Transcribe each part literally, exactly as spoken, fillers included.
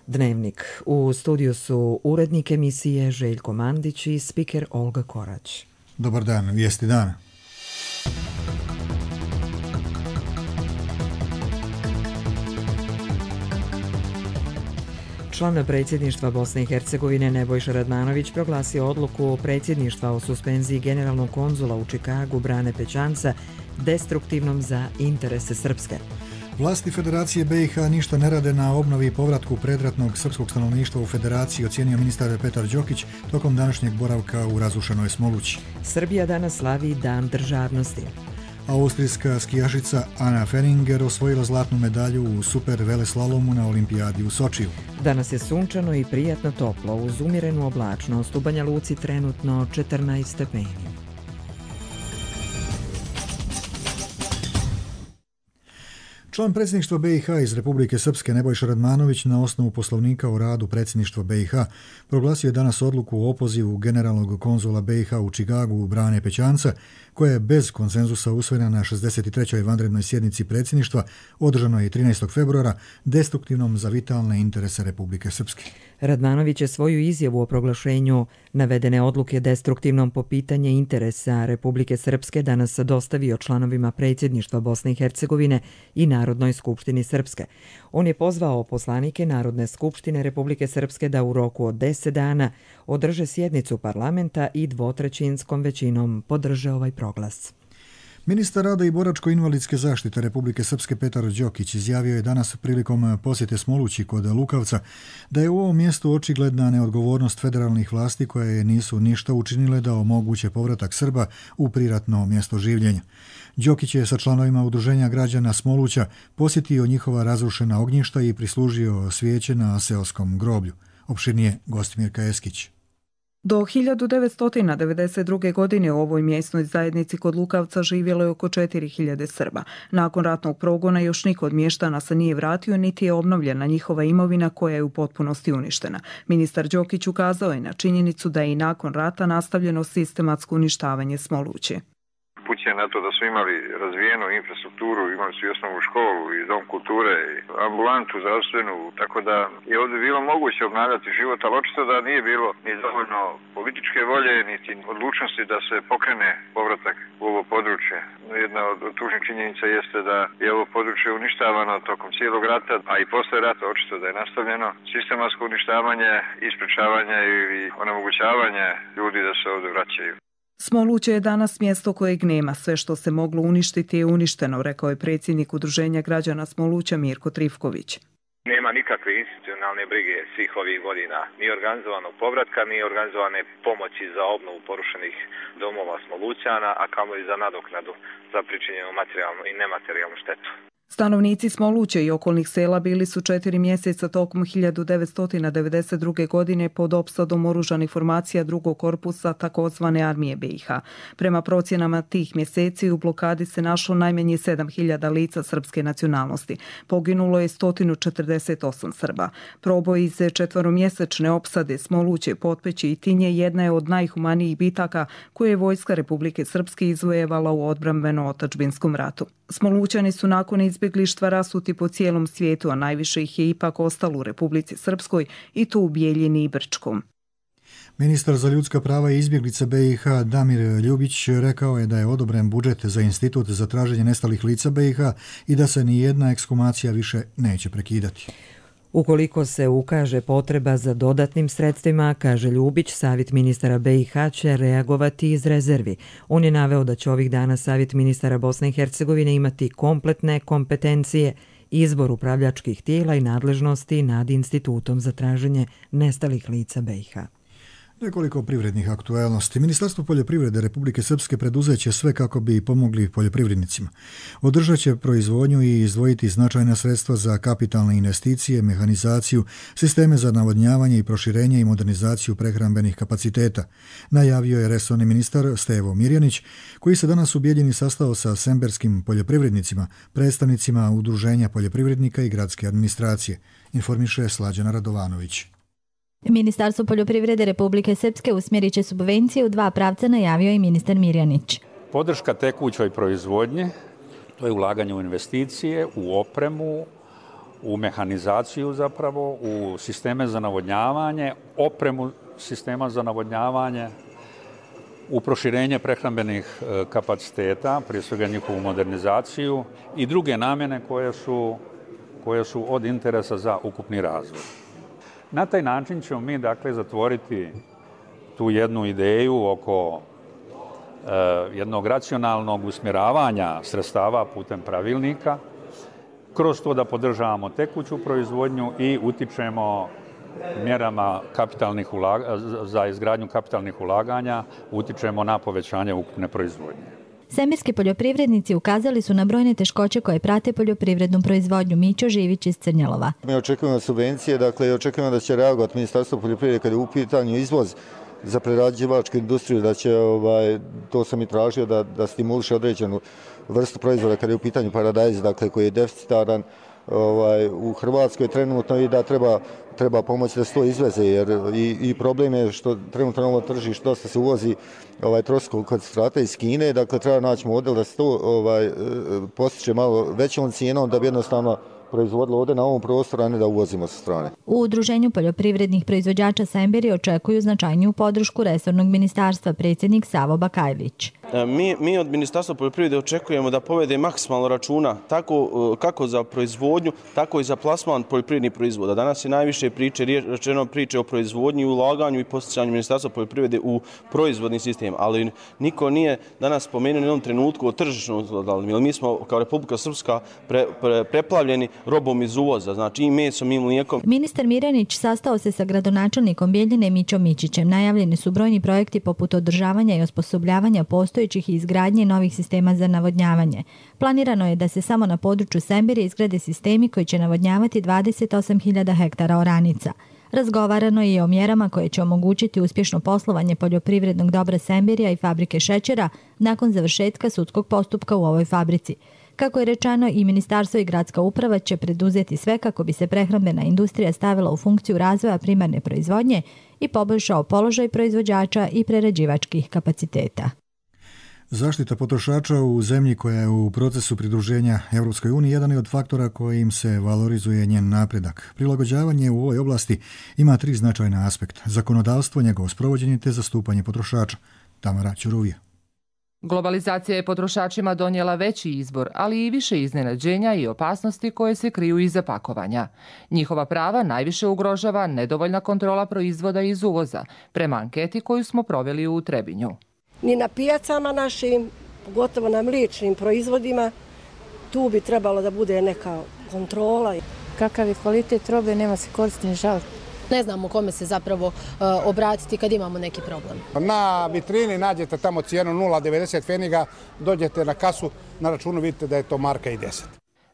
Dnevnik. U studiju su urednik emisije Željko Mandić i spiker Olga Korać. Dobar dan, vijesti dana. Član predsjedništva Bosne i Hercegovine Nebojša Radmanović proglasio odluku predsjedništva o suspenziji generalnog konzula u Čikagu Brane Pećanca destruktivnom za interese Srpske. Vlasti Federacije B i H ništa ne rade na obnovi i povratku predratnog srpskog stanovništva u Federaciji, ocijenio ministar Petar Đokić tokom današnjeg boravka u razrušenoj Smolući. Srbija danas slavi Dan državnosti. Austrijska skijašica Anna Feringer osvojila zlatnu medalju u super veleslalomu na olimpijadi u Sočiju. Danas je sunčano i prijatno toplo, uz umjerenu oblačnost. U Banja Luci trenutno četrnaest stepeni. Član predsjedništva B i H iz Republike Srpske Nebojša Radmanović na osnovu poslovnika o radu predsjedništva B i H proglasio je danas odluku o opozivu generalnog konzula B i H u Čikagu Brane Pećanca, koja je bez konsenzusa usvojena na šezdeset trećoj vanrednoj sjednici predsjedništva održanoj trinaestog februara, destruktivnom za vitalne interese Republike Srpske. Radmanović je svoju izjavu o proglašenju navedene odluke destruktivnom po pitanje interesa Republike Srpske danas dostavio članovima predsjedništva Bosne i Hercegovine i Narodnoj skupštini Srpske. On je pozvao poslanike Narodne skupštine Republike Srpske da u roku od deset dana održe sjednicu parlamenta i dvotrećinskom većinom podrže ovaj proglas. Ministar rada i boračko-invalidske zaštite Republike Srpske Petar Đokić izjavio je danas prilikom posjete Smolući kod Lukavca da je u ovom mjestu očigledna neodgovornost federalnih vlasti koje nisu ništa učinile da omoguće povratak Srba u priratno mjesto življenja. Đokić je sa članovima udruženja građana Smoluća posjetio njihova razrušena ognjišta i prislužio svijeće na seoskom groblju. Opširnije Gostimirka Eskić. Do hiljadu devetsto devedeset druge. godine u ovoj mjesnoj zajednici kod Lukavca živjelo je oko četiri hiljade Srba. Nakon ratnog progona još niko od mještana se nije vratio, niti je obnovljena njihova imovina koja je u potpunosti uništena. Ministar Đokić ukazao je na činjenicu da je i nakon rata nastavljeno sistematsko uništavanje Smoluće. Upućuje na to da su imali razvijenu infrastrukturu, imali su i osnovnu školu i dom kulture i ambulantu zdravstvenu, tako da je ovdje bilo moguće obnavljati život, ali očito da nije bilo ni dovoljno političke volje, niti odlučnosti da se pokrene povratak u ovo područje. Jedna od tužnih činjenica jeste da je ovo područje uništavano tokom cijelog rata, a i posle rata očito da je nastavljeno sistematsko uništavanje, isprečavanje i onemogućavanje ljudi da se ovdje vraćaju. Smoluće je danas mjesto kojeg nema. Sve što se moglo uništiti je uništeno, rekao je predsjednik Udruženja građana Smoluća Mirko Trifković. Nema nikakve institucionalne brige svih ovih godina, ni organizovanog povratka, ni organizovane pomoći za obnovu porušenih domova Smolućana, a kamoli za nadoknadu za pričinjenu materijalnu i nematerijalnu štetu. Stanovnici Smoluće i okolnih sela bili su četiri mjeseca tokom hiljadu devetsto devedeset druge. godine pod opsadom oružanih formacija drugog korpusa takozvane armije B i H. Prema procjenama tih mjeseci u blokadi se našlo najmanje sedam hiljada lica srpske nacionalnosti. Poginulo je sto četrdeset osam Srba. Proboj iz četveromjesečne opsade Smoluće, Potpeći i Tinje jedna je od najhumanijih bitaka koje je vojska Republike Srpske izvojevala u odbrambeno-otadžbinskom ratu. Smolućani su nakon izbjeglištva rasuti po cijelom svijetu, a najviše ih je ipak ostalo u Republici Srpskoj i to u Bijeljini i Brčkom. Ministar za ljudska prava i izbjeglice B i H Damir Ljubić rekao je da je odobren budžet za institut za traženje nestalih lica B i H i da se ni jedna ekshumacija više neće prekidati. Ukoliko se ukaže potreba za dodatnim sredstvima, kaže Ljubić, Savjet ministara B i H će reagovati iz rezervi. On je naveo da će ovih dana Savjet ministara Bosne i Hercegovine imati kompletne kompetencije, izbor upravljačkih tijela i nadležnosti nad Institutom za traženje nestalih lica B i H. Nekoliko privrednih aktualnosti. Ministarstvo poljoprivrede Republike Srpske preduzeće sve kako bi pomogli poljoprivrednicima. Održat će proizvodnju i izdvojiti značajna sredstva za kapitalne investicije, mehanizaciju, sisteme za navodnjavanje i proširenje i modernizaciju prehrambenih kapaciteta, najavio je resorni ministar Stevo Mirjanić, koji se danas u Bijeljini sastao sa semberskim poljoprivrednicima, predstavnicima udruženja poljoprivrednika i gradske administracije, informiše Slađana Radovanović. Ministarstvo poljoprivrede Republike Srpske usmjerit će subvencije u dva pravca, najavio i ministar Mirjanić. Podrška tekućoj proizvodnji, to je ulaganje u investicije, u opremu, u mehanizaciju zapravo, u sisteme za navodnjavanje, opremu sistema za navodnjavanje, u proširenje prehrambenih kapaciteta, prije svega njihovu modernizaciju i druge namjene koje su, koje su od interesa za ukupni razvoj. Na taj način ćemo mi dakle zatvoriti tu jednu ideju oko e, jednog racionalnog usmjeravanja sredstava putem pravilnika, kroz to da podržavamo tekuću proizvodnju i utičemo mjerama kapitalnih ulaga, za izgradnju kapitalnih ulaganja, utičemo na povećanje ukupne proizvodnje. Semirski poljoprivrednici ukazali su na brojne teškoće koje prate poljoprivrednu proizvodnju. Mićo Živić iz Crnjalova. Mi očekujemo subvencije, dakle očekujemo da će reagovati Ministarstvo poljoprivrede kada je u pitanju izvoz za prerađivačku industriju, da će, ovaj, to sam i tražio, da, da stimuliše određenu vrstu proizvoda kada je u pitanju paradajz, dakle koji je deficitaran ovaj, u Hrvatskoj trenutno i da treba, treba pomoći da se to izveze, jer i, i problem je što trenutno na ovo tržište dosta se uvozi ovaj, troskog koncentrata iz Kine, dakle treba naći model da se to ovaj, postiče malo većom cijenom da bi jednostavno proizvodilo ovdje na ovom prostoru, a ne da uvozimo sa strane. U Udruženju poljoprivrednih proizvođača Semberi očekuju značajniju podršku resornog ministarstva, predsjednik Savo Bakajlić. Mi, mi od Ministarstva poljoprivrede očekujemo da povede maksimalno računa tako, kako za proizvodnju, tako i za plasman poljoprivrednih proizvoda. Danas je najviše priče, rečeno priče o proizvodnji, ulaganju i posticanju Ministarstva poljoprivrede u proizvodni sistem, ali niko nije danas spomenuo u jednom trenutku o tržišnom zlodavanju, jer mi smo kao Republika Srpska pre, pre, preplavljeni robom iz uvoza, znači i mesom i mlijekom. Ministar Mirjanić sastao se sa gradonačelnikom Bjeljine Mićom Mićićem. Najavljeni su brojni projekti poput održavanja i osposobljavanja postojećih i izgradnje novih sistema za navodnjavanje. Planirano je da se samo na području Semberi izgrade sistemi koji će navodnjavati dvadeset osam hiljada hektara oranica. Razgovarano je i o mjerama koje će omogućiti uspješno poslovanje poljoprivrednog dobra Semberija i fabrike šećera nakon završetka sudskog postupka u ovoj fabrici. Kako je rečeno, i ministarstvo i gradska uprava će preduzeti sve kako bi se prehrambena industrija stavila u funkciju razvoja primarne proizvodnje i poboljšao položaj proizvođača i prerađivačkih kapaciteta. Zaštita potrošača u zemlji koja je u procesu pridruženja Europskoj uniji jedan je od faktora kojim se valorizuje njen napredak. Prilagođavanje u ovoj oblasti ima tri značajna aspekta: zakonodavstvo, njegovo sprovođenje te zastupanje potrošača. Tamara Ćuruvija. Globalizacija je potrošačima donijela veći izbor, ali i više iznenađenja i opasnosti koje se kriju iza pakovanja. Njihova prava najviše ugrožava nedovoljna kontrola proizvoda iz uvoza, prema anketi koju smo proveli u Trebinju. Ni na pijacama našim, pogotovo na mliječnim proizvodima, tu bi trebalo da bude neka kontrola. Kakav je kvalitet robe, nema se koristi ni žaliti. Ne znamo kome se zapravo uh, obratiti kad imamo neki problem. Na vitrini nađete tamo cijenu nula devedeset pfeniga, dođete na kasu, na računu vidite da je to marka i deset.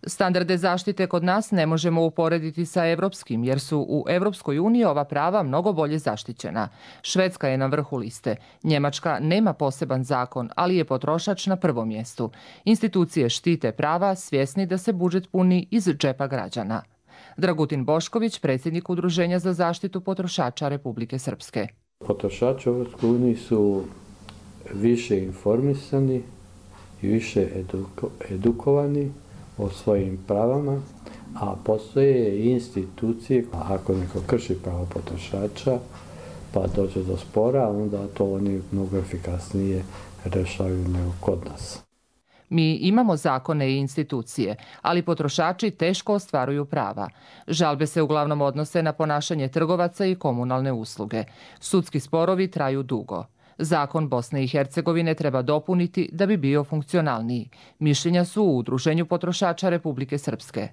Standarde zaštite kod nas ne možemo uporediti sa evropskim, jer su u Evropskoj uniji ova prava mnogo bolje zaštićena. Švedska je na vrhu liste. Njemačka nema poseban zakon, ali je potrošač na prvom mjestu. Institucije štite prava, svjesni da se budžet puni iz džepa građana. Dragutin Bošković, predsjednik Udruženja za zaštitu potrošača Republike Srpske. Potrošači u Evropskoj uniji su više informisani i više eduko, edukovani o svojim pravama, a postoje i institucije, ako neko krši pravo potrošača pa dođe do spora, onda to oni mnogo efikasnije rešavaju nego kod nas. Mi imamo zakone i institucije, ali potrošači teško ostvaruju prava. Žalbe se uglavnom odnose na ponašanje trgovaca i komunalne usluge. Sudski sporovi traju dugo. Zakon Bosne i Hercegovine treba dopuniti da bi bio funkcionalniji. Mišljenja su u Udruženju potrošača Republike Srpske.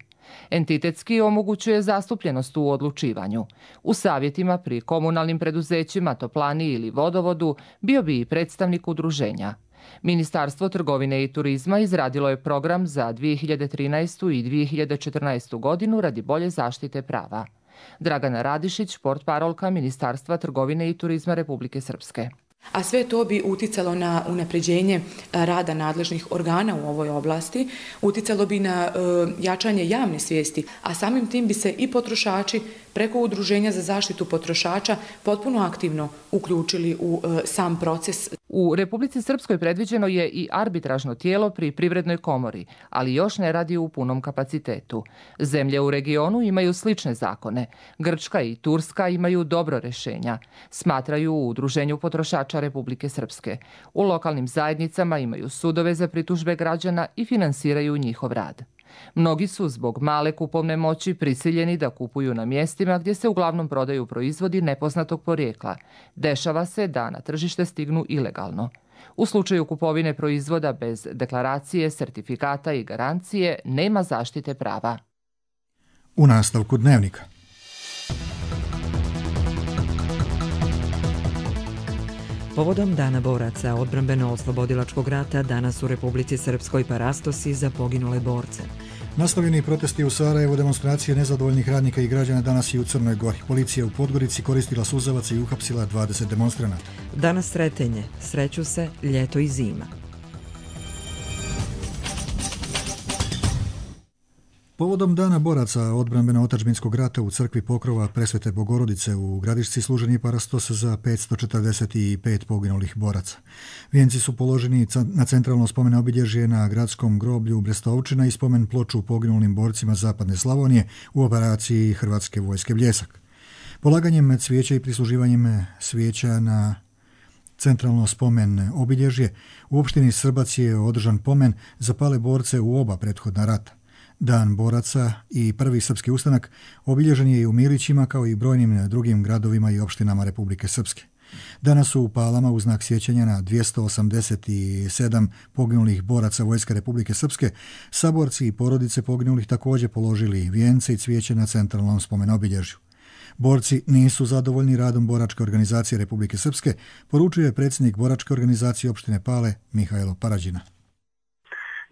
Entitetski omogućuje zastupljenost u odlučivanju. U savjetima pri komunalnim preduzećima, toplani ili vodovodu bio bi i predstavnik udruženja. Ministarstvo trgovine i turizma izradilo je program za dvije hiljade trinaestu i dvije hiljade četrnaestu godinu radi bolje zaštite prava. Dragana Radišić, portparolka Ministarstva trgovine i turizma Republike Srpske. A sve to bi uticalo na unapređenje rada nadležnih organa u ovoj oblasti, uticalo bi na e, jačanje javne svijesti, a samim tim bi se i potrošači preko Udruženja za zaštitu potrošača potpuno aktivno uključili u e, sam proces. U Republici Srpskoj predviđeno je i arbitražno tijelo pri Privrednoj komori, ali još ne radi u punom kapacitetu. Zemlje u regionu imaju slične zakone. Grčka i Turska imaju dobro rješenja, smatraju u Udruženju potrošača Republike Srpske. U lokalnim zajednicama imaju sudove za pritužbe građana i finansiraju njihov rad. Mnogi su zbog male kupovne moći prisiljeni da kupuju na mjestima gdje se uglavnom prodaju proizvodi nepoznatog porijekla. Dešava se da na tržište stignu ilegalno. U slučaju kupovine proizvoda bez deklaracije, sertifikata i garancije nema zaštite prava. U nastavku dnevnika. Povodom Dana boraca odbrambeno-oslobodilačkog rata danas u Republici Srpskoj parastosi za poginule borce. Nastavljeni protesti u Sarajevu, demonstracije nezadovoljnih radnika i građana danas i u Crnoj Gori. Policija u Podgorici koristila suzavac i uhapsila dvadeset demonstranata. Danas sretenje, sreću se ljeto i zima. Povodom Dana boraca odbrambeno-otadžbinskog rata u crkvi Pokrova Presvete Bogorodice u Gradišci služen je parastos za petsto četrdeset pet poginulih boraca. Vijenci su položeni na centralno spomen obilježje na gradskom groblju Brestovčina i spomen ploču poginulim borcima Zapadne Slavonije u operaciji Hrvatske vojske Bljesak. Polaganjem cvijeća i prisluživanjem svijeća na centralno spomen obilježje u opštini Srbac je održan pomen za pale borce u oba prethodna rata. Dan boraca i prvi srpski ustanak obilježen je i u Milićima kao i brojnim drugim gradovima i opštinama Republike Srpske. Danas su u Palama u znak sjećanja na dvjesto osamdeset sedam poginulih boraca Vojske Republike Srpske saborci i porodice poginulih također položili vijence i cvijeće na centralnom spomen obilježju. Borci nisu zadovoljni radom boračke organizacije Republike Srpske, poručuje predsjednik boračke organizacije opštine Pale Mihajlo Parađina.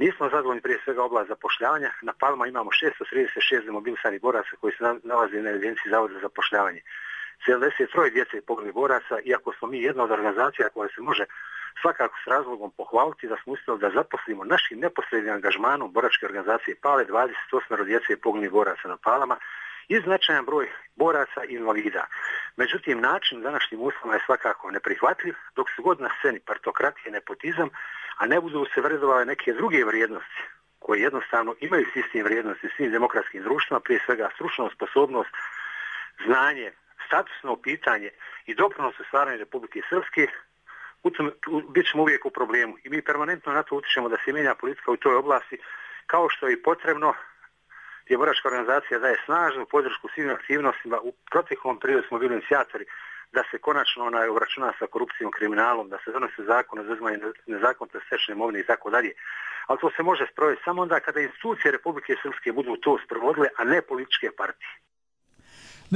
Nismo zadovoljni prije svega oblast zapošljavanja. Na Palma imamo šesto trideset šest demobilisanih boraca koji se nalaze na evidenciji Zavoda za zapošljavanje. sedamdeset tri djece je poginulih boraca, iako smo mi jedna od organizacija koja se može svakako s razlogom pohvaliti da smo uspjeli da zaposlimo našim neposrednim angažmanom boračke organizacije Pale dvadeset osam djece je poginulih boraca na Palama i značajan broj boraca i invalida. Međutim, način današnjim uslovima je svakako neprihvatljiv, dok su god na sceni partokratije, nepotizam, a ne budu se vrednovale neke druge vrijednosti koje jednostavno imaju sistem vrijednosti u svim demokratskim društvima, prije svega stručnost, sposobnost, znanje, statusno pitanje i doprinos u stvaranju Republike Srpske, bit ćemo uvijek u problemu. I mi permanentno na to utičemo da se mijenja politika u toj oblasti, kao što je i potrebno, gdje boračka organizacija daje snažnu podršku svim aktivnostima. U proteklom periodu smo bili inicijatori da se konačno onaj obračuna sa korupcijom, kriminalom, da se donose zakon o izuzimanju nezakonito stečene imovine i tako dalje. Ali to se može sprovesti samo onda kada institucije Republike Srpske budu to sprovodile, a ne političke partije.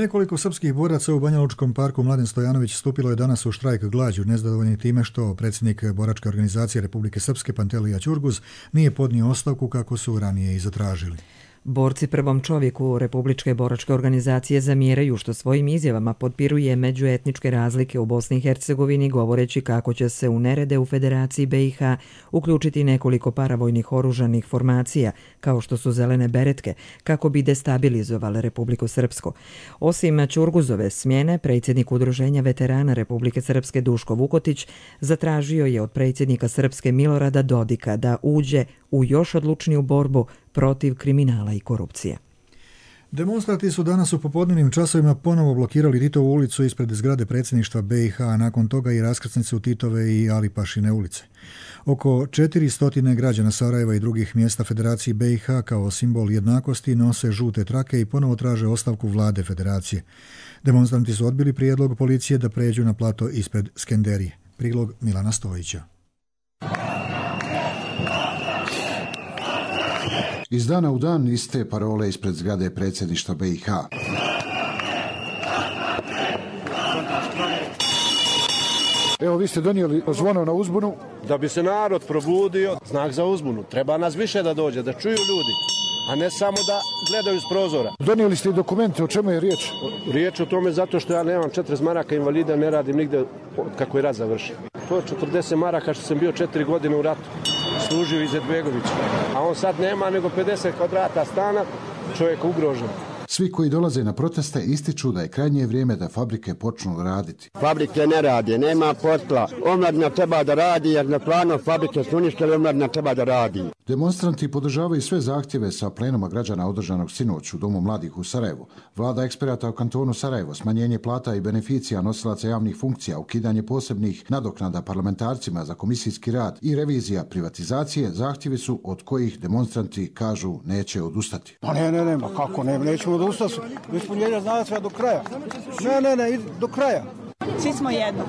Nekoliko srpskih boraca u Banjalučkom parku Mladen Stojanović stupilo je danas u štrajk glađu, nezadovoljni time što predsjednik boračke organizacije Republike Srpske Pantelija Ćurguz nije podnio ostavku kako su ranije i zatražili. Borci prvom čovjeku Republičke boračke organizacije zamjeraju što svojim izjavama potpiruje međuetničke razlike u Bosni i Hercegovini, govoreći kako će se u nerede u Federaciji B i H uključiti nekoliko paravojnih oružanih formacija, kao što su zelene beretke, kako bi destabilizovale Republiku Srpsku. Osim Ćurguzove smjene, predsjednik Udruženja veterana Republike Srpske Duško Vukotić zatražio je od predsjednika Srpske Milorada Dodika da uđe u još odlučniju borbu protiv kriminala i korupcije. Demonstranti su danas u popodnevnim časovima ponovo blokirali Titovu ulicu ispred zgrade predsjedništva B i H, a nakon toga i raskrsnicu Titove i Alipašine ulice. Oko četiristo građana Sarajeva i drugih mjesta Federacije B i H kao simbol jednakosti nose žute trake i ponovo traže ostavku vlade Federacije. Demonstranti su odbili prijedlog policije da pređu na plato ispred Skenderije. Prilog Milana Stojića. Iz dana u dan iste parole ispred zgrade predsjedništva B i H. Evo, vi ste donijeli zvono na uzbunu. Da bi se narod probudio, znak za uzbunu. Treba nas više da dođe, da čuju ljudi, a ne samo da gledaju iz prozora. Donijeli ste i dokumente, o čemu je riječ? Riječ o tome zato što ja nemam četrdeset maraka invalida, ne radim nigde kako je rat završi. To je četrdeset maraka što sam bio četiri godine u ratu. Služio Izetbegović, a on sad nema nego pedeset kvadrata stana, čovjek ugrožen. Svi koji dolaze na proteste ističu da je krajnje vrijeme da fabrike počnu raditi. Fabrike ne rade, nema posla. Omladina treba da radi jer na planu fabrike su uništili, omladina treba da radi. Demonstranti podržavaju sve zahtjeve sa plenuma građana održanog sinoć u Domu mladih u Sarajevu. Vlada eksperata u kantonu Sarajevo, smanjenje plata i beneficija nosilaca javnih funkcija, ukidanje posebnih nadoknada parlamentarcima za komisijski rad i revizija privatizacije zahtjevi su od kojih demonstranti kažu neće odustati. Pa ne, ne, ne, ma kako ne, nećemo odustati. Ispunjenja znate sve do kraja. Ne, ne, ne, do kraja. Svi smo jedno.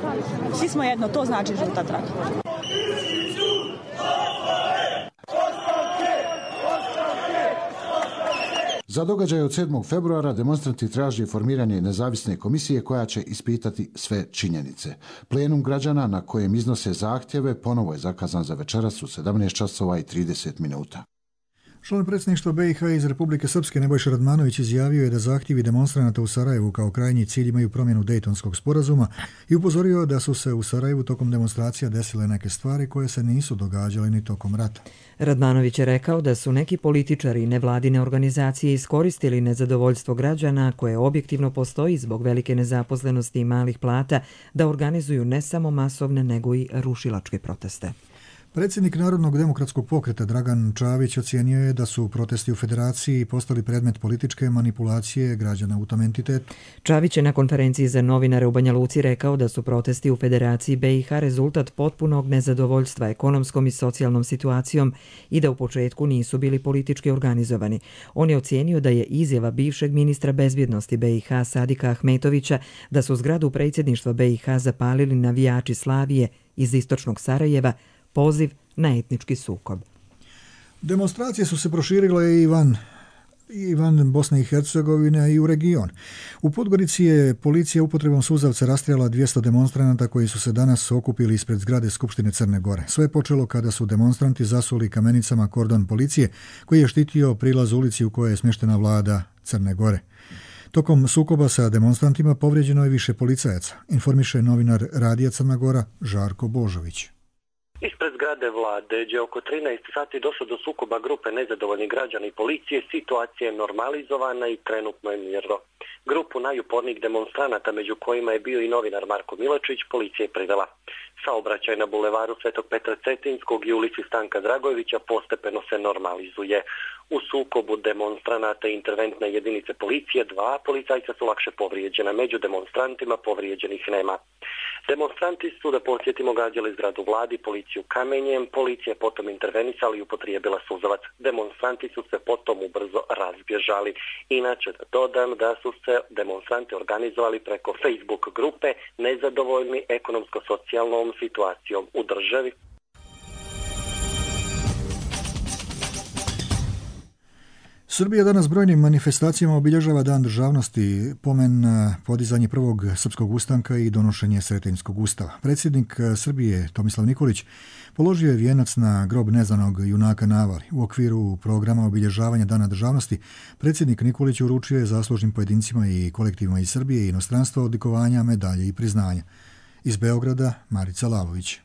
Svi smo jedno, to znači žuta traka. Za događaj od sedmog februara demonstranti traže formiranje nezavisne komisije koja će ispitati sve činjenice. Plenum građana na kojem iznose zahtjeve ponovo je zakazan za večeras u sedamnaest časova i trideset minuta. Član predsjedništva B i H iz Republike Srpske Nebojša Radmanović izjavio je da zahtjevi demonstranata u Sarajevu kao krajnji cilj imaju promjenu Dejtonskog sporazuma i upozorio da su se u Sarajevu tokom demonstracija desile neke stvari koje se nisu događale ni tokom rata. Radmanović je rekao da su neki političari i nevladine organizacije iskoristili nezadovoljstvo građana koje objektivno postoji zbog velike nezaposlenosti i malih plata da organizuju ne samo masovne nego i rušilačke proteste. Predsjednik Narodnog demokratskog pokreta Dragan Čavić ocijenio je da su protesti u federaciji postali predmet političke manipulacije građana u tom entitetu. Čavić je na konferenciji za novinare u Banja Luci rekao da su protesti u Federaciji B i H rezultat potpunog nezadovoljstva ekonomskom i socijalnom situacijom i da u početku nisu bili politički organizovani. On je ocijenio da je izjava bivšeg ministra bezbjednosti B i H Sadika Ahmetovića da su zgradu predsjedništva B i H zapalili navijači Slavije iz istočnog Sarajeva poziv na etnički sukob. Demonstracije su se proširile i van, i van Bosne i Hercegovine i u region. U Podgorici je policija upotrebom suzavca rastrijala dvjesto demonstranata koji su se danas okupili ispred zgrade Skupštine Crne Gore. Sve je počelo kada su demonstranti zasuli kamenicama kordon policije koji je štitio prilaz ulici u kojoj je smještena vlada Crne Gore. Tokom sukoba sa demonstrantima povrijeđeno je više policajaca, informiše novinar Radija Crna Gora Žarko Božović. Ispred zgrade vlade, gdje oko trinaest sati došlo do sukoba grupe nezadovoljnih građana i policije, situacija je normalizovana i trenutno je mirno. Grupu najupornijih demonstranata, među kojima je bio i novinar Marko Milačić, policija je privela. Saobraćaj na bulevaru Svetog Petra Cetinskog i ulici Stanka Dragojevića postepeno se normalizuje. U sukobu demonstranata i interventne jedinice policije dva policajca su lakše povrijeđena. Među demonstrantima povrijeđenih nema. Demonstranti su, da podsjetimo, gađali zgradu vladi, policiju kamenjem, policija je potom intervenisala i upotrijebila suzavac. Demonstranti su se potom ubrzo razbježali. Inače da dodam da su se demonstranti organizovali preko Facebook grupe nezadovoljni ekonomsko-socijalnom situacijom u državi. Srbija danas brojnim manifestacijama obilježava Dan državnosti, pomen na podizanje prvog srpskog ustanka i donošenje Sretenjskog ustava. Predsjednik Srbije Tomislav Nikolić položio je vijenac na grob neznanog junaka na Avali. U okviru programa obilježavanja Dana državnosti predsjednik Nikolić uručio je zaslužnim pojedincima i kolektivima iz Srbije i inostranstva odlikovanja, medalje i priznanja. Iz Beograda Marica Lalović.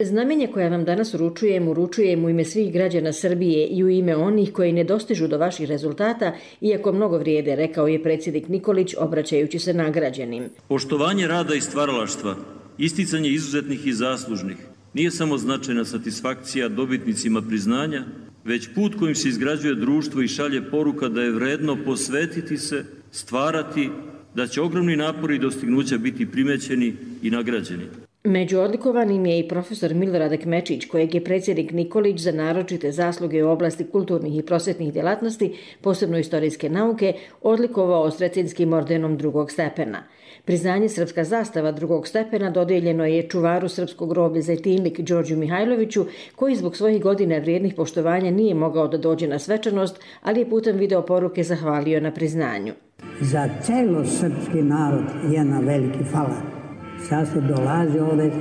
Znamenje koje vam danas uručujem, uručujem u ime svih građana Srbije i u ime onih koji ne dostižu do vaših rezultata, iako mnogo vrijede, rekao je predsjednik Nikolić obraćajući se nagrađenim. Poštovanje rada i stvaralaštva, isticanje izuzetnih i zaslužnih, nije samo značajna satisfakcija dobitnicima priznanja, već put kojim se izgrađuje društvo i šalje poruka da je vredno posvetiti se, stvarati, da će ogromni napori i dostignuća biti primećeni i nagrađeni. Među odlikovanim je i profesor Milorad Kmečić, kojeg je predsjednik Nikolić za naročite zasluge u oblasti kulturnih i prosvetnih djelatnosti, posebno istorijske nauke, odlikovao Sretinskim ordenom drugog stepena. Priznanje Srpska zastava drugog stepena dodijeljeno je čuvaru srpskog groblja Zejtinlik Đorđu Mihajloviću, koji zbog svojih godina vrijednih poštovanja nije mogao da dođe na svečanost, ali je putem video poruke zahvalio na priznanju. Za celo srpski narod jedna veliki hvala. Sad se dolazi ovdje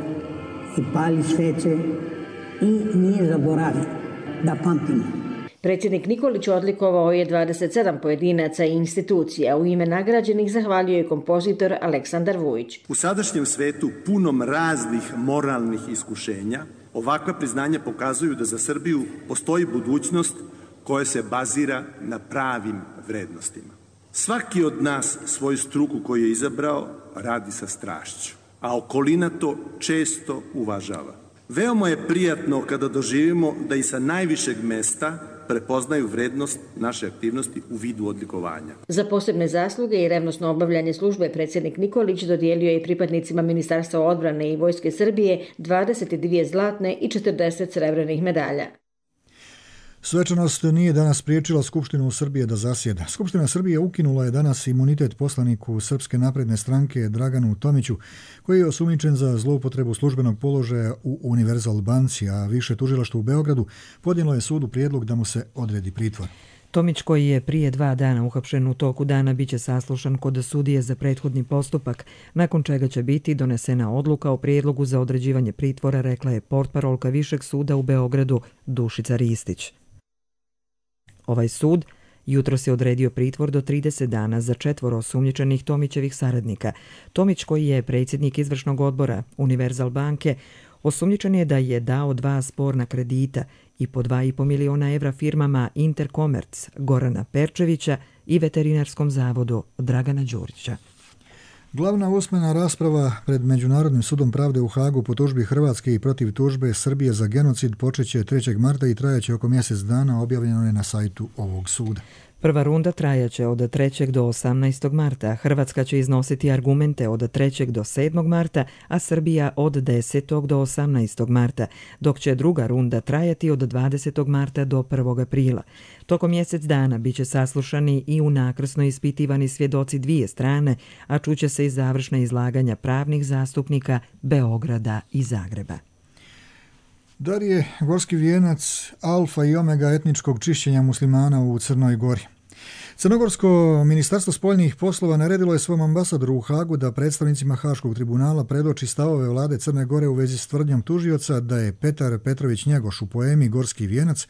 i pali sveće i nije zaboravio da pamtimo. Predsjednik Nikolić odlikovao je dvadeset sedam pojedinaca i institucija. U ime nagrađenih zahvalio je kompozitor Aleksandar Vujić. U sadašnjem svetu punom raznih moralnih iskušenja, ovakva priznanja pokazuju da za Srbiju postoji budućnost koja se bazira na pravim vrednostima. Svaki od nas svoju struku koju je izabrao radi sa strašću, a okolina to često uvažava. Veoma je prijatno kada doživimo da i sa najvišeg mesta prepoznaju vrednost naše aktivnosti u vidu odlikovanja. Za posebne zasluge i revnosno obavljanje službe predsjednik Nikolić dodijelio je pripadnicima Ministarstva odbrane i Vojske Srbije dvadeset dvije zlatne i četrdeset srebrnih medalja. Svečanost nije danas spriječila Skupštinu Srbije da zasjeda. Skupština Srbije ukinula je danas imunitet poslaniku Srpske napredne stranke Draganu Tomiću, koji je osumnjičen za zloupotrebu službenog položaja u Univerzal banci, a više tužilaštvo u Beogradu podnijelo je sudu prijedlog da mu se odredi pritvor. Tomić, koji je prije dva dana uhapšen, u toku dana biće saslušan kod sudije za prethodni postupak, nakon čega će biti donesena odluka o prijedlogu za određivanje pritvora, rekla je portparolka Višeg suda u Beogradu Dušica Ristić. Ovaj sud jutros je odredio pritvor do trideset dana za četvoro osumnjičenih Tomićevih saradnika. Tomić, koji je predsjednik izvršnog odbora Univerzal banke, osumnjičen je da je dao dva sporna kredita i po dva i po miliona evra firmama Interkomerc Gorana Perčevića i Veterinarskom zavodu Dragana Đurića. Glavna usmena rasprava pred Međunarodnim sudom pravde u Hagu po tužbi Hrvatske i protiv tužbe Srbije za genocid počeće trećeg marta i trajaće oko mjesec dana, objavljeno je na sajtu ovog suda. Prva runda trajaće od trećeg do osamnaestog marta. Hrvatska će iznositi argumente od trećeg do sedmog marta, a Srbija od desetog do osamnaestog marta, dok će druga runda trajati od dvadesetog marta do prvog aprila. Tokom mjesec dana biće saslušani i unakrsno ispitivani svjedoci dvije strane, a čuće se i završna izlaganja pravnih zastupnika Beograda i Zagreba. Dar je gorski vijenac alfa i omega etničkog čišćenja muslimana u Crnoj Gori. Crnogorsko ministarstvo spoljnih poslova naredilo je svom ambasadoru u Hagu da predstavnicima Haškog tribunala predoči stavove vlade Crne Gore u vezi s tvrdnjom tužioca da je Petar Petrović Njegoš u poemi Gorski vijenac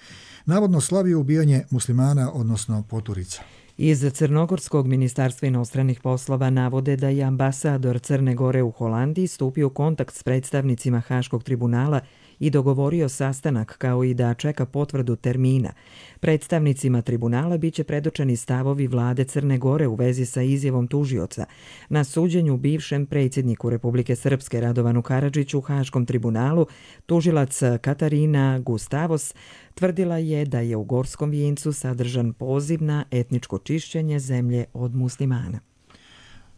navodno slavio ubijanje muslimana, odnosno poturica. Iz Crnogorskog ministarstva inostranih poslova navode da je ambasador Crne Gore u Holandiji stupio u kontakt s predstavnicima Haškog tribunala i dogovorio sastanak, kao i da čeka potvrdu termina. Predstavnicima tribunala biće predočeni stavovi vlade Crne Gore u vezi sa izjavom tužioca. Na suđenju bivšem predsjedniku Republike Srpske Radovanu Karadžiću u Haškom tribunalu, tužilac Katarina Gustavos tvrdila je da je u Gorskom vijencu sadržan poziv na etničko čišćenje zemlje od muslimana.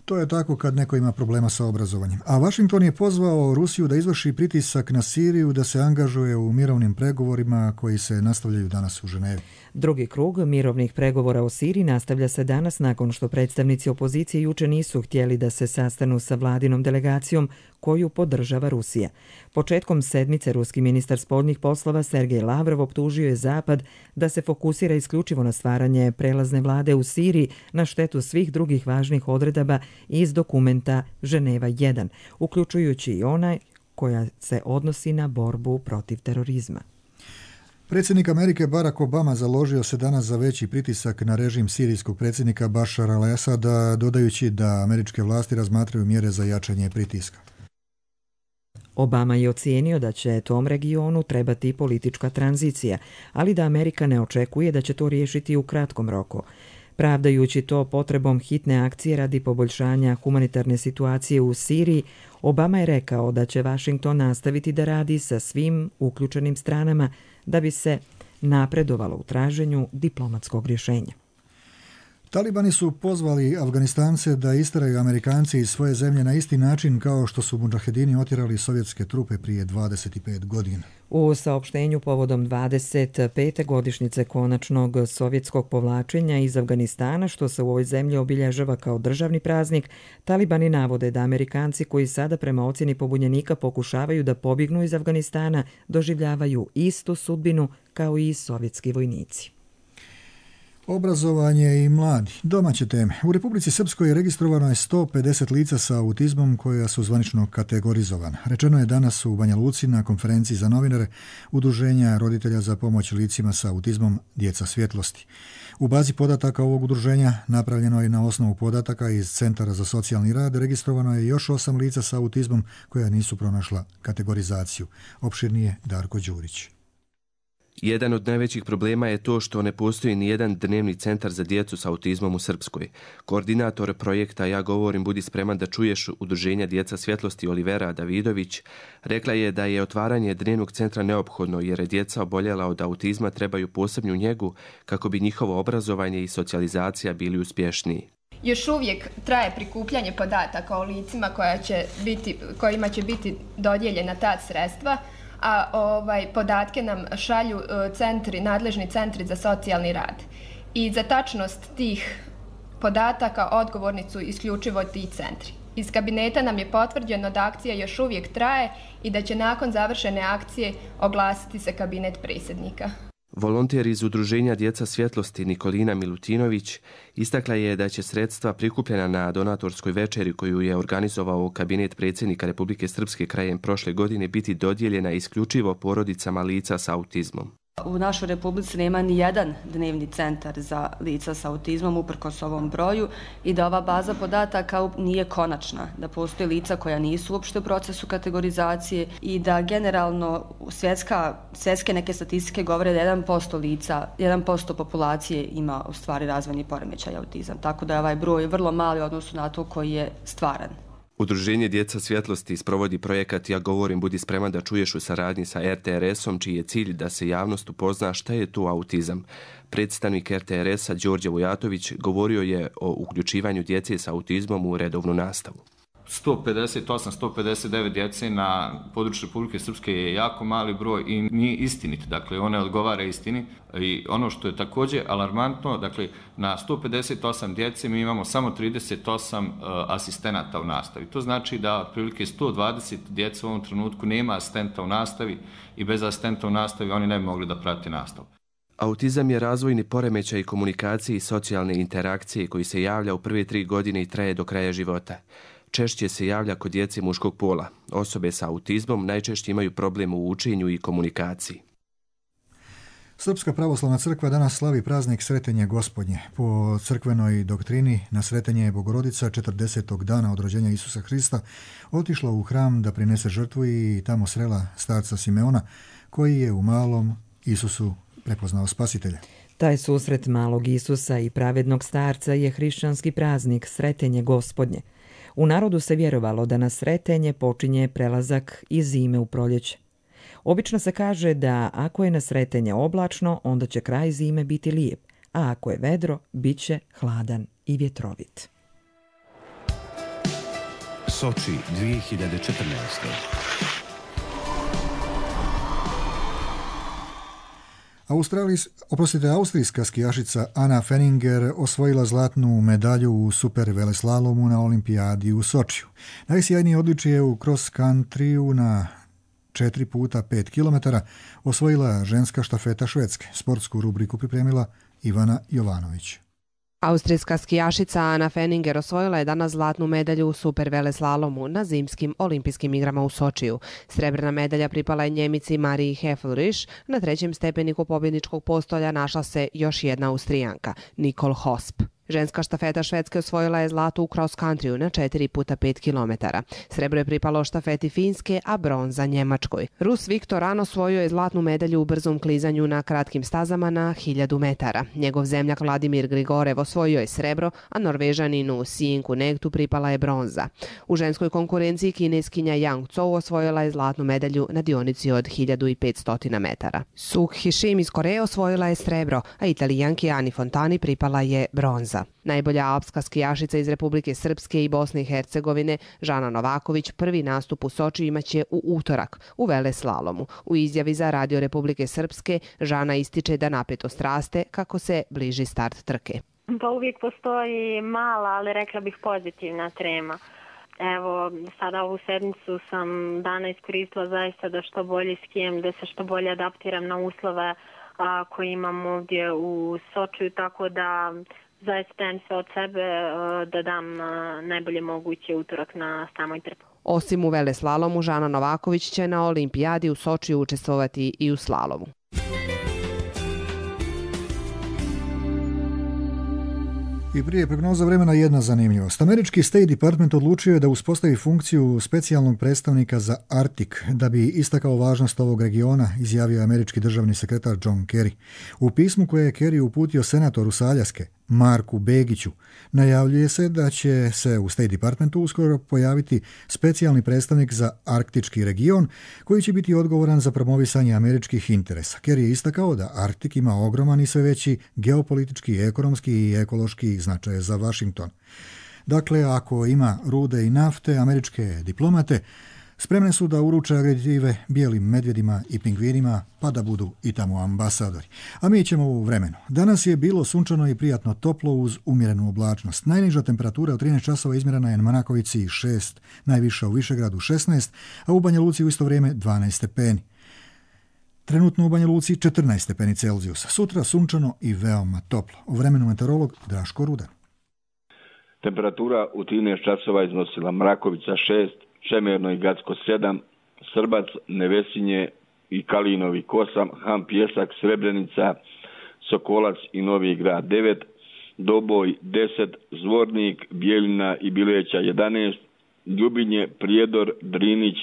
To je tako kad neko ima problema sa obrazovanjem. A Washington je pozvao Rusiju da izvrši pritisak na Siriju da se angažuje u mirovnim pregovorima koji se nastavljaju danas u Ženevi. Drugi krug mirovnih pregovora o Siriji nastavlja se danas nakon što predstavnici opozicije juče nisu htjeli da se sastanu sa vladinom delegacijom koju podržava Rusija. Početkom sedmice ruski ministar spoljnih poslova Sergej Lavrov optužio je Zapad da se fokusira isključivo na stvaranje prelazne vlade u Siriji na štetu svih drugih važnih odredaba iz dokumenta Ženeva jedan, uključujući i onaj koja se odnosi na borbu protiv terorizma. Predsjednik Amerike Barack Obama založio se danas za veći pritisak na režim sirijskog predsjednika Bašara al-Asada, dodajući da američke vlasti razmatraju mjere za jačanje pritiska. Obama je ocijenio da će tom regionu trebati politička tranzicija, ali da Amerika ne očekuje da će to riješiti u kratkom roku. Pravdajući to potrebom hitne akcije radi poboljšanja humanitarne situacije u Siriji, Obama je rekao da će Washington nastaviti da radi sa svim uključenim stranama da bi se napredovalo u traženju diplomatskog rješenja. Talibani su pozvali Afganistance da isteraju Amerikanci iz svoje zemlje na isti način kao što su mudžahedini otjerali sovjetske trupe prije dvadeset pet godina. U saopštenju povodom dvadeset pete godišnjice konačnog sovjetskog povlačenja iz Afganistana, što se u ovoj zemlji obilježava kao državni praznik, Talibani navode da Amerikanci koji sada prema ocjeni pobunjenika pokušavaju da pobjegnu iz Afganistana doživljavaju istu sudbinu kao i sovjetski vojnici. Obrazovanje i mladi. Domaće teme. U Republici Srpskoj registrovano je sto pedeset lica sa autizmom koja su zvanično kategorizovana. Rečeno je danas u Banja Luci na konferenciji za novinare Udruženja roditelja za pomoć licima sa autizmom Djeca svjetlosti. U bazi podataka ovog udruženja, napravljeno je na osnovu podataka iz Centara za socijalni rad, registrovano je još osam lica sa autizmom koja nisu pronašla kategorizaciju. Opširnije Darko Đurić. Jedan od najvećih problema je to što ne postoji ni jedan dnevni centar za djecu s autizmom u Srpskoj. Koordinator projekta Ja govorim, budi spreman da čuješ udruženja Djeca svjetlosti Olivera Davidović rekla je da je otvaranje dnevnog centra neophodno jer je djeca oboljela od autizma trebaju posebnu njegu kako bi njihovo obrazovanje i socijalizacija bili uspješniji. Još uvijek traje prikupljanje podataka o licima koja će biti, kojima će biti dodijeljena ta sredstva, a ovaj, podatke nam šalju centri, nadležni centri za socijalni rad. I za tačnost tih podataka odgovorni su isključivo ti centri. Iz kabineta nam je potvrđeno da akcija još uvijek traje i da će nakon završene akcije oglasiti se kabinet predsjednika. Volonter iz udruženja Djeca svjetlosti Nikolina Milutinović istakla je da će sredstva prikupljena na donatorskoj večeri koju je organizovao kabinet predsjednika Republike Srpske krajem prošle godine biti dodijeljena isključivo porodicama lica s autizmom. U našoj Republici nema ni jedan dnevni centar za lica s autizmom uprkos ovom broju i da ova baza podataka nije konačna, da postoje lica koja nisu uopšte u procesu kategorizacije i da generalno svjetska, svjetske neke statistike govore da jedan posto lica, jedan posto populacije ima u stvari razvojni poremećaj autizam, tako da je ovaj broj vrlo mali u odnosu na to koji je stvaran. Udruženje Djeca svjetlosti sprovodi projekat Ja govorim, budi spreman da čuješ u saradnji sa er te er esom, čiji je cilj da se javnost upozna šta je to autizam. Predstavnik er te er esa Đorđe Vujatović govorio je o uključivanju djece sa autizmom u redovnu nastavu. sto pedeset osam do sto pedeset devet djece na području Republike Srpske je jako mali broj i nije istinit, dakle one odgovara istini. I ono što je također alarmantno, dakle na sto pedeset osam djece mi imamo samo trideset osam uh, asistenata u nastavi. To znači da otprilike sto dvadeset djece u ovom trenutku nema asistenta u nastavi i bez asistenta u nastavi oni ne bi mogli da prate nastavu. Autizam je razvojni poremećaj komunikacije i socijalne interakcije koji se javlja u prve tri godine i traje do kraja života. Češće se javlja kod djece muškog pola. Osobe sa autizmom najčešće imaju problem u učenju i komunikaciji. Srpska pravoslavna crkva danas slavi praznik Sretenje Gospodnje. Po crkvenoj doktrini na Sretenje je Bogorodica četrdesetog dana od rođenja Isusa Hrista otišla u hram da prinese žrtvu i tamo srela starca Simeona koji je u malom Isusu prepoznao spasitelja. Taj susret malog Isusa i pravednog starca je hrišćanski praznik Sretenje Gospodnje. U narodu se vjerovalo da na Sretenje počinje prelazak iz zime u proljeće. Obično se kaže da ako je na Sretenje oblačno, onda će kraj zime biti lijep, a ako je vedro, bit će hladan i vjetrovit. Soči dvije hiljade četrnaeste. Australijs, oprostite, austrijska skijašica Anna Fenninger osvojila zlatnu medalju u super veleslalomu na olimpijadi u Sočiju. Najsjajnije odličje u cross countryu na četiri puta pet kilometara osvojila ženska štafeta Švedske. Sportsku rubriku pripremila Ivana Jovanović. Austrijska skijašica Anna Fenninger osvojila je danas zlatnu medalju u super veleslalomu na zimskim olimpijskim igrama u Sočiju. Srebrna medalja pripala je Njemici Mariji Heflriš. Na trećem stepeniku pobjedničkog postolja našla se još jedna Austrijanka, Nicole Hosp. Ženska štafeta Švedske osvojila je zlato u cross countryu na četiri puta pet kilometara. Srebro je pripalo štafeti Finske, a bronza Njemačkoj. Rus Viktor An osvojio je zlatnu medalju u brzom klizanju na kratkim stazama na hiljadu metara. Njegov zemljak Vladimir Grigorev osvojio je srebro, a Norvežaninu Sinku Negtu pripala je bronza. U ženskoj konkurenciji kineskinja Yang Zhou osvojila je zlatnu medalju na dionici od hiljadu petsto metara. Suk Hishim iz Koreje osvojila je srebro, a Italijanki Ani Fontani pripala je bronza. Najbolja alpska skijašica iz Republike Srpske i Bosne i Hercegovine, Žana Novaković, prvi nastup u Sočiju imaće u utorak u veleslalomu. U izjavi za Radio Republike Srpske, Žana ističe da napetost raste kako se bliži start trke. Pa uvijek postoji mala, ali rekla bih pozitivna trema. Evo, sada ovu sedmicu sam dana iskoristila zaista da što bolje skijem, da se što bolje adaptiram na uslove a, koje imam ovdje u Sočiju, tako da zaista dajem sve od sebe da dam najbolje moguće utorak na samoj trku. Osim u veleslalomu, Žana Novaković će na olimpijadi u Sočiju učestvovati i u slalomu. I prije prognoza vremena jedna zanimljivost. Američki State Department odlučio je da uspostavi funkciju specijalnog predstavnika za Arktik da bi istakao važnost ovog regiona, izjavio je američki državni sekretar John Kerry. U pismu koje je Kerry uputio senatoru sa Aljaske, Marku Begiću, najavljuje se da će se u State Departmentu uskoro pojaviti specijalni predstavnik za arktički region koji će biti odgovoran za promovisanje američkih interesa. Kerry je istakao da Arktik ima ogroman i sve veći geopolitički, ekonomski i ekološki značaj za Washington. Dakle, ako ima rude i nafte, američke diplomate spremne su da uruče agreditive bijelim medvjedima i pingvinima, pa da budu i tamo ambasadori. A mi ćemo u vremenu. Danas je bilo sunčano i prijatno toplo uz umjerenu oblačnost. Najniža temperatura od trinaest časova izmjerena je na Manakovici šest, najviša u Višegradu šesnaest, a u Banja Luci u isto vrijeme dvanaest stepeni. Trenutno u Banja Luci četrnaest stepeni Celzijusa. Sutra sunčano i veoma toplo. U vremenu meteorolog Draško Rudan. Temperatura u trinaest časova iznosila Mrakovica šest, Čemerno i Gacko sedam, Srbac, Nevesinje i Kalinovi osam, Han Pjesak, Srebrenica, Sokolac i Novi Grad devet, Doboj deset, Zvornik, Bijeljina i Bileća jedanaest, Ljubinje, Prijedor, Drinić,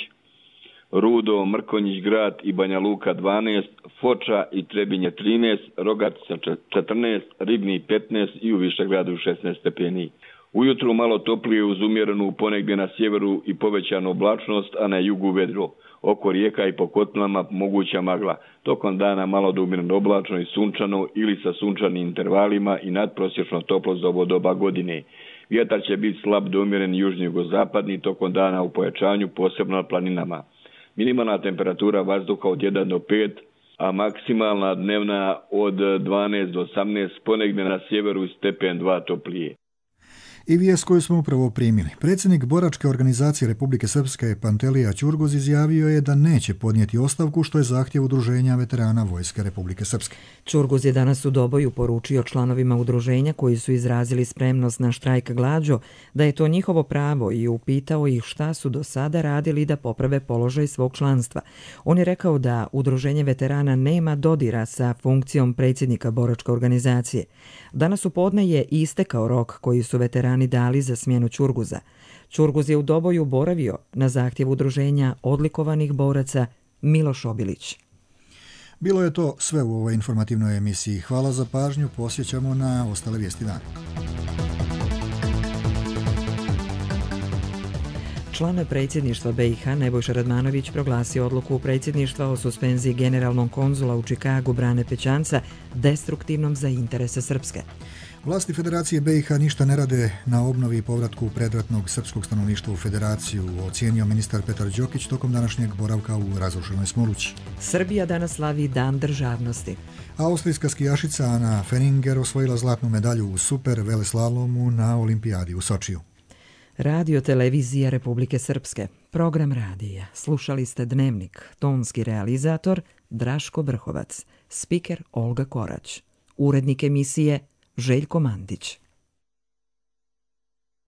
Rudo, Mrkonjić Grad i Banja Luka dvanaest, Foča i Trebinje trinaest, Rogatica četrnaest, Ribni petnaest i u Višegradu šesnaest stepeni. Ujutru malo toplije uz umjerenu ponegdje na sjeveru i povećanu oblačnost, a na jugu vedro. Oko rijeka i po kotlama moguća magla. Tokom dana malo do umjereno oblačno i sunčano ili sa sunčanim intervalima i nadprosječno toplo za ovo doba godine. Vjetar će biti slab do umjeren južno-jugozapadni tokom dana u pojačanju, posebno na planinama. Minimalna temperatura vazduha od jedan do pet, a maksimalna dnevna od dvanaest do osamnaest, ponegdje na sjeveru stepen dva toplije. I vijest koju smo upravo primili. Predsjednik Boračke organizacije Republike Srpske Pantelija Ćurgoz izjavio je da neće podnijeti ostavku, što je zahtjev Udruženja veterana Vojske Republike Srpske. Ćurgoz je danas u Doboju poručio članovima udruženja koji su izrazili spremnost na štrajk glađu da je to njihovo pravo i upitao ih šta su do sada radili da poprave položaj svog članstva. On je rekao da Udruženje veterana nema dodira sa funkcijom predsjednika Boračke organizacije. Danas u podne je istekao rok koji su veterani dali za smjenu Ćurguza. Ćurguz je u Doboju boravio na zahtjev udruženja odlikovanih boraca Miloš Obilić. Bilo je to sve u ovoj informativnoj emisiji. Hvala za pažnju, posjećamo na ostale vijesti dana. Član predsjedništva B i H Nebojša Radmanović proglasio odluku predsjedništva o suspenziji generalnog konzula u Čikagu Brane Pećanca destruktivnom za interese Srpske. Vlasti Federacije B i H ništa ne rade na obnovi i povratku predratnog srpskog stanovništva u Federaciju, ocijenio ministar Petar Đokić tokom današnjeg boravka u razrušenoj Smolući. Srbija danas slavi Dan državnosti. Austrijska skijašica Ana Fenninger osvojila zlatnu medalju u super veleslalomu na olimpijadi u Sočiju. Radio Televizija Republike Srpske. Program radija. Slušali ste Dnevnik. Tonski realizator Draško Brhovac. Spiker Olga Korać. Urednik emisije Željko Mandić.